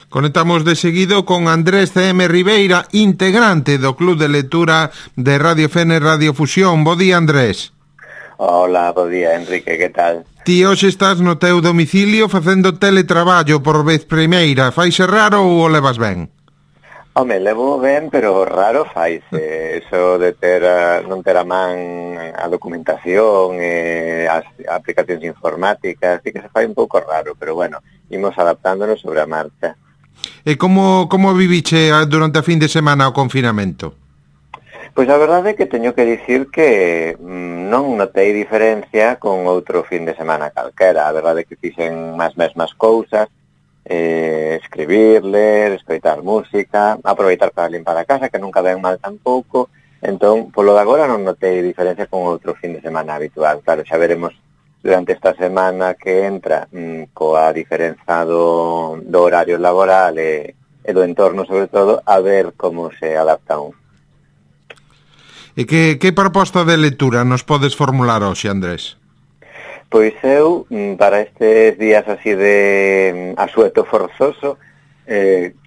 Conectamos de seguido con Andrés C.M. Ribeira, integrante do Club de Lectura de Radio Fene Radio Fusión. Bo día, Andrés. Hola, bo día, Enrique, que tal? Ti hoxe estás no teu domicilio facendo teletraballo por vez primeira. Faise raro ou o levas ben? Home, levo ben, pero raro faise. Eso de non ter a man a documentación, as aplicacións informáticas, sí que se fai un pouco raro, pero bueno, imos adaptándonos sobre a marcha. E como viviche durante a fin de semana o confinamento? Pois a verdade é que teño que dicir que non notei diferencia con outro fin de semana calquera. A verdade é que fixen máis mesmas cousas, escribir, ler, escoitar música, aproveitar para limpar a casa, que nunca ven mal tampouco. Entón, polo de agora non notei diferencia con outro fin de semana habitual. Claro, xa veremos durante esta semana que entra coa diferenza do horario laboral e do entorno, sobre todo, a ver como se adapta un. E que proposta de lectura nos podes formular hoxe, Andrés? Pois eu, para estes días así de asueto forzoso,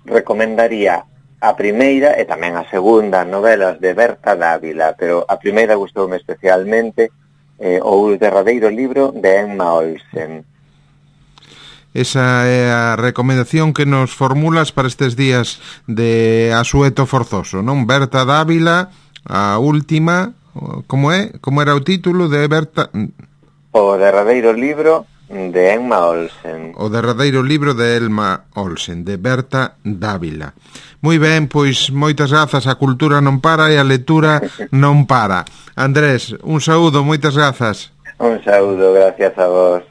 recomendaría a primeira e tamén a segunda novelas de Berta Dávila, pero a primeira gustoume especialmente, o derradeiro libro de Emma Olsen. Esa é a recomendación que nos formulas para estes días de asueto forzoso, non? Berta Dávila, a última, como é? Como era o título de Berta? O derradeiro libro de Emma Olsen. O derradeiro libro de Emma Olsen, de Berta Dávila. Moi ben, pois moitas grazas, a cultura non para e a lectura non para. Andrés, un saúdo, moitas grazas. Un saúdo, gracias a vos.